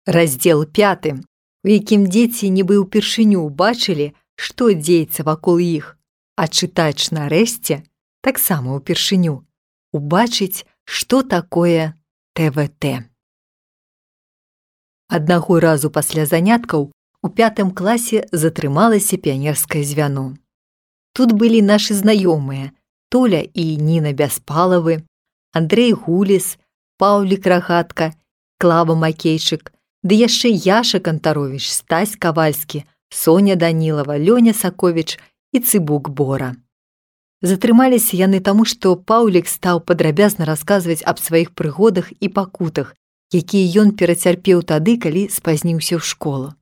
Раздзел 5, у якім дзеці нібы ўпершыню бачылі, што дзеецца вакол іх, а чытач нарэшце, таксама ўпершыню, убачыць, што такое ТВТ. Аднаго разу пасля заняткаў у 5 класе затрымалася піянерскае звяно. Тут былі нашы знаёмыя Толя і Ніна Бяспалавы, Андрэй Гуліс, Паўлік Рагатка, Клава Макейчык, ды яшчэ Яша Кантаровіч, Стась Кавальскі, Соня Данілава, Лёня Саковіч і Цыбук Бора. Затрымаліся яны таму, што Паўлік стаў падрабязна расказваць аб сваіх прыгодах і пакутах, якія ён перацярпеў тады, калі спазніўся ў школу.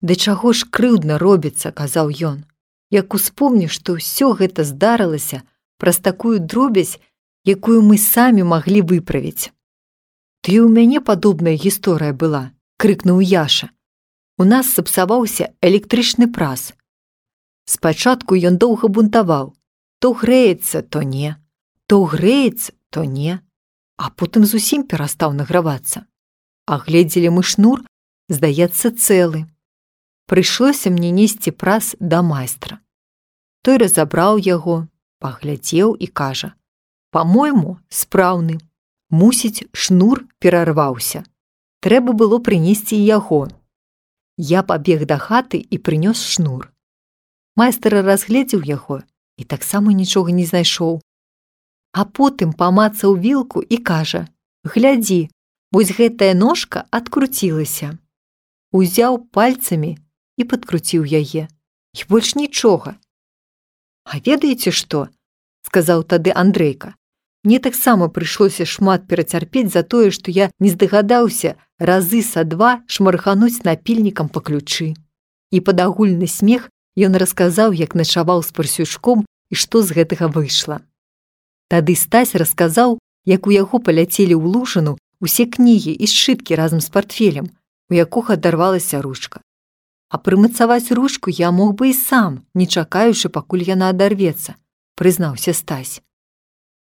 «Да чаго ж крыўдна робіцца», – казаў ён, «як успомню, што ўсё гэта здарылася праз такую дробязь, якую мы самі маглі выправіць». «Ты ў мяне падобная гісторыя была», – крыкнуў Яша. «У нас сапсаваўся электрычны прас. Спачатку ён доўга бунтаваў. То грэецца, то не. То грэецца, то не. А потым зусім перастаў награвацца. А гледзелі мы шнур, здаецца, цэлы. Прыйшлося мне несці прас да майстра. Той разабраў яго, паглядзеў і кажа: па-мойму, спраўны. Мусіць, шнур перарваўся. Трэба было прынесці яго. Я пабег да хаты і прынёс шнур. Майстар разгледзеў яго і таксама нічога не знайшоў. А потым памацаў вілку і кажа: глядзі, вось гэтая ножка адкруцілася. Узяў пальцамі і падкруціў яе. І больш нічога. А ведаеце што? Сказаў тады Андрейка. Мне таксама прыйшлося шмат перацярпець за тое, што я не здагадаўся разы са 2 шмархануць напільнікам па ключы. І пад агульны смех ён расказаў, як начаваў з парсюшком і што з гэтага выйшла. Тады Стась расказаў, як у яго паляцелі ў лужыну усе кнігі і сшыткі разам з партфелем, у якога адарвалася ручка. А прымацаваць ручку я мог бы і сам, не чакаючы, пакуль яна адарвецца, прызнаўся Стась.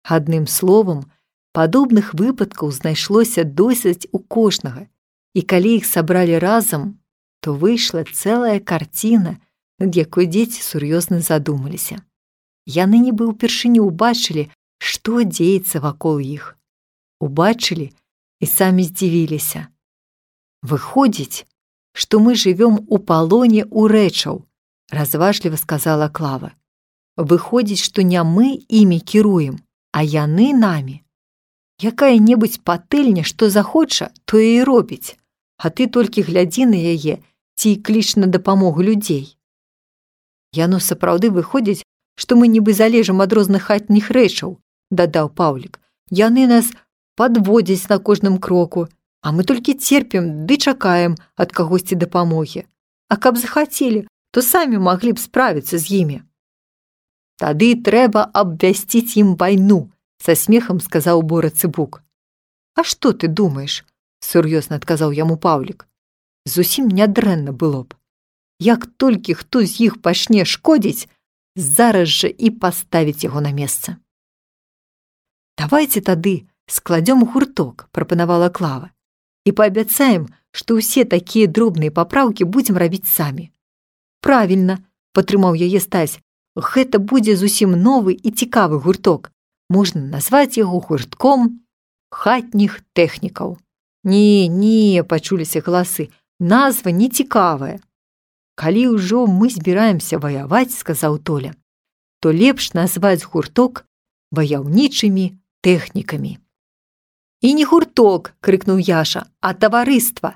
Адным словам, падобных выпадкаў знайшлося досыць у кожнага, і калі іх сабралі разам, то выйшла цэлая карціна, над якой дзеці сур'ёзна задумаліся. Яны нібы ўпершыню ўбачылі, што дзеецца вакол іх. Убачылі і самі здзівіліся. «Выходзіць, што мы жывём у палоне ў рэчаў», – разважліва сказала Клава. «Выходзіць, што не мы імі кіруем, а яны намі. Якая-небудзь патыльня, што захоча, тое і робіць, а ты толькі глядзі на яе ці кліч на дапамогу людзей. Яно сапраўды выходзіць, што мы нібы залежым ад розных хатніх рэчаў», – дадаў Паўлік. «Яны нас падводзяць на кожным кроку, а мы толькі церпім ды чакаем ад кагосьці дапамогі. А каб захацелі, то самі маглі б справіцца з імі». «Тады трэба абвясціць ім вайну», – са смехам сказаў Бора Цыбук. «А што ты думаеш?» – сур'ёзна адказаў яму Паўлік. «Зусім нядрэнна было б. Як толькі хто з іх пачне шкодзіць, зараз жа і паставіць яго на месца». «Давайце тады складзём гурток», – прапанавала Клава, «і паабяцаем, што ўсе такія дробныя папраўкі будзем рабіць самі». «Правільна», – падтрымаў яе Стась. «Гэта будзе зусім новы і цікавы гурток. Можна назваць яго гуртком хатніх тэхнікаў». «Не, пачуліся галасы, назва не цікавая». «Калі ўжо мы збіраемся ваяваць, – сказаў Толя, – то лепш назваць гурток ваяўнічымі тэхнікамі». «І не гурток, – крыкнуў Яша, – а таварыства.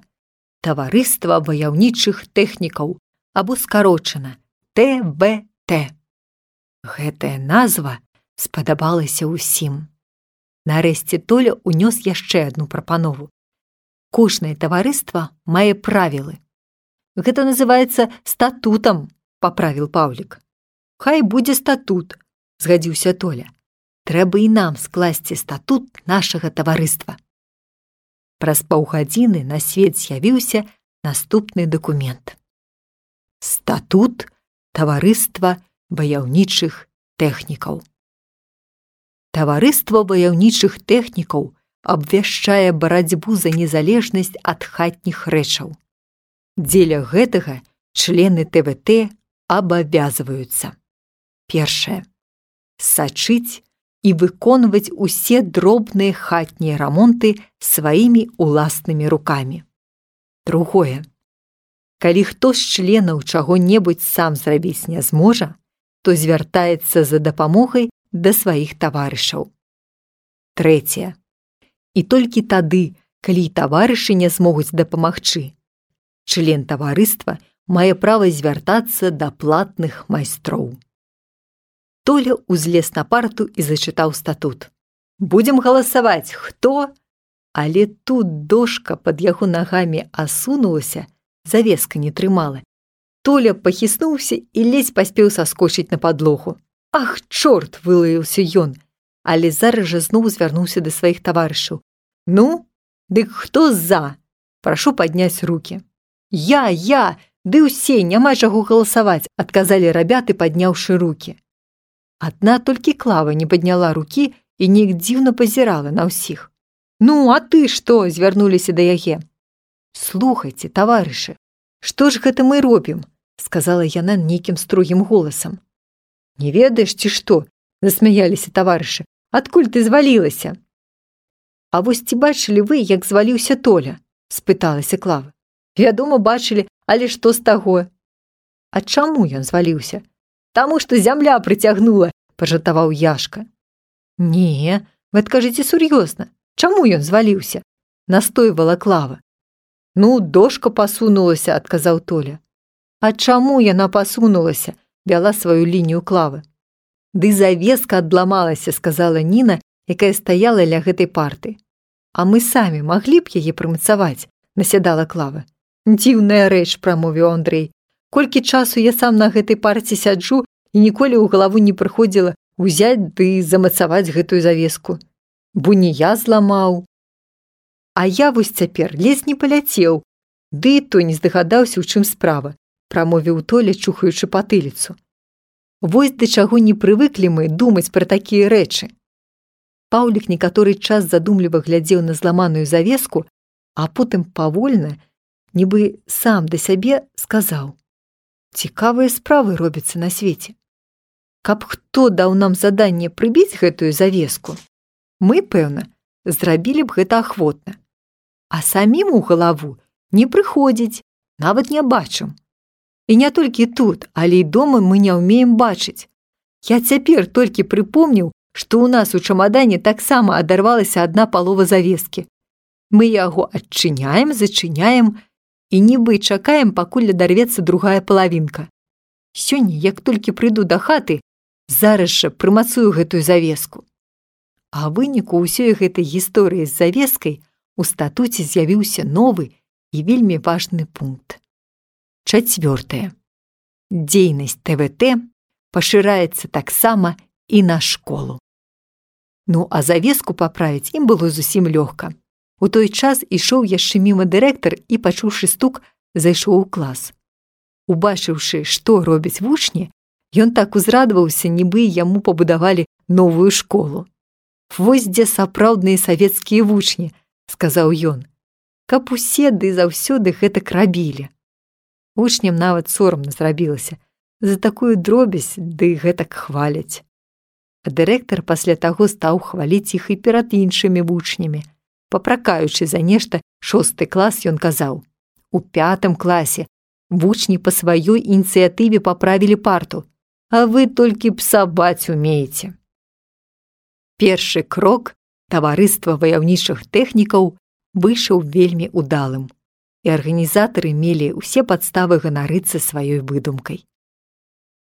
Таварыства ваяўнічых тэхнікаў, або скарочана ТВТ». Гэтая назва спадабалася ўсім. Нарэшце Толя ўнёс яшчэ адну прапанову. «Кожнае таварыства мае правілы». «Гэта называецца статутам», – паправіў Паўлік. «Хай будзе статут», – згадзіўся Толя. «Трэба і нам скласці статут нашага таварыства». Праз паўгадзіны на свет з'явіўся наступны дакумент. Статут таварыства ваяўнічых тэхнікаў. Таварыства ваяўнічых тэхнікаў абвяшчае барацьбу за незалежнасць ад хатніх рэчаў. Дзеля гэтага члены ТВТ абавязваюцца. Першае. Сачыць і выконваць усе дробныя хатнія рамонты сваімі ўласнымі рукамі. Другое. Калі хто з членаў чаго-небудзь сам зрабіць не зможа, то звяртаецца за дапамогай да сваіх таварышаў. Трэцяе. І толькі тады, калі таварышы не змогуць дапамагчы, член таварыства мае права звяртацца да платных майстроў. Толя узлез на парту і зачытаў статут. Будзем галасаваць, хто? Але тут дошка пад яго нагамі асунулася, завеска не трымала. Толя пахіснуўся і ледзь паспеў саскочыць на падлогу. Ах, чорт, вылаяўся ён, але зараз жа зноў звярнуўся да сваіх таварышаў. Ну, дык хто за? Прашу падняць рукі. Я, ды ўсе, няма чаго галасаваць, адказалі рабяты, падняўшы рукі. Адна толькі Клава не падняла рукі і неяк дзіўна пазірала на ўсіх. Ну, а ты што? Звярнуліся да яе. Слухайце, таварышы, што ж гэта мы робім? Сказала яна нейкім строгім голасам. Не ведаеш, ці што? Засмяяліся таварышы. Адкуль ты звалілася? А вось ці бачылі вы, як зваліўся Толя? Спыталася Клава. Вядома, бачылі, але што з таго? А чаму ён зваліўся? Таму што зямля прыцягнула, пажартаваў Яшка. Не, вы адкажыце сур'ёзна. Чаму ён зваліўся? Настойвала Клава. Ну, дошка пасунулася, адказаў Толя. А чаму яна пасунулася? Вяла сваю лінію Клавы. Ды завеска адламалася, сказала Ніна, якая стаяла ля гэтай парты. А мы самі маглі б яе прымацаваць, насядала Клава. Дзіўная рэч, прамовіў Андрэй. Колькі часу я сам на гэтай парце сяджу і ніколі ў галаву не прыходзіла ўзяць ды замацаваць гэтую завеску. Бо не я зламаў. А я вось цяпер ледзь не паляцеў, ды і то не здагадаўся, у чым справа, прамовіў Толя, чухаючы патыліцу. Вось да чаго не прывыклі мы думаць пра такія рэчы. Паўлік некаторы час задумліва глядзеў на зламаную завеску, а потым павольна, нібы сам да сябе сказаў. Цікавыя справы робяцца на свеце. Каб хто даў нам заданне прыбіць гэтую завеску, мы, пэўна, зрабілі б гэта ахвотна. А самім у галаву не прыходзіць, нават не бачым. І не толькі тут, але і дома мы не ўмеем бачыць. Я цяпер толькі прыпомніў, што ў нас у чамадане таксама адарвалася адна палова завескі. Мы яго адчыняем, зачыняем і нібы чакаем, пакуль адарвецца другая палавінка. Сёння, як толькі прыйду да хаты, зараз жа прымацую гэтую завеску. А выніку ўсёй гэтай гісторыі з завескай у статуце з'явіўся новы і вельмі важны пункт. 4. Дзейнасць ТВТ пашыраецца таксама і на школу. Ну, а завеску паправіць ім было зусім лёгка. У той час ішоў яшчэ міма дырэктар і, пачуўшы стук, зайшоў у клас. Убачыўшы, што робяць вучні, ён так узрадаваўся, нібы яму пабудавалі новую школу. «Вось дзе сапраўдныя савецкія вучні», – сказаў ён. «Каб усе ды заўсёды гэтак рабілі». Вучням нават сорамна зрабілася. За такую дробязь ды гэтак хваляць. А дырэктар пасля таго стаў хваліць іх і перад іншымі вучнямі. Папракаючы за нешта 6 клас, ён казаў: «У 5 класе вучні па сваёй ініцыятыве паправілі парту, а вы толькі псаваць умееце». Першы крок таварыства ваяўнічых тэхнікаў выйшаў вельмі удалым, і арганізатары мелі ўсе падставы ганарыцца сваёй выдумкай.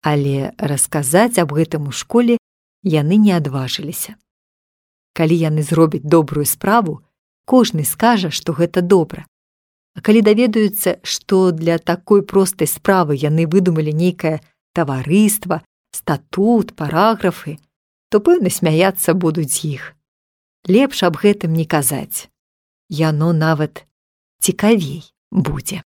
Але расказаць аб гэтым у школе яны не адважыліся. Калі яны зробяць добрую справу, кожны скажа, што гэта добра. А калі даведаюцца, што для такой простай справы яны выдумалі нейкае таварыства, статут, параграфы, то, пэўна, смяяцца будуць з іх. Лепш аб гэтым не казаць. Яно нават цікавей будзе.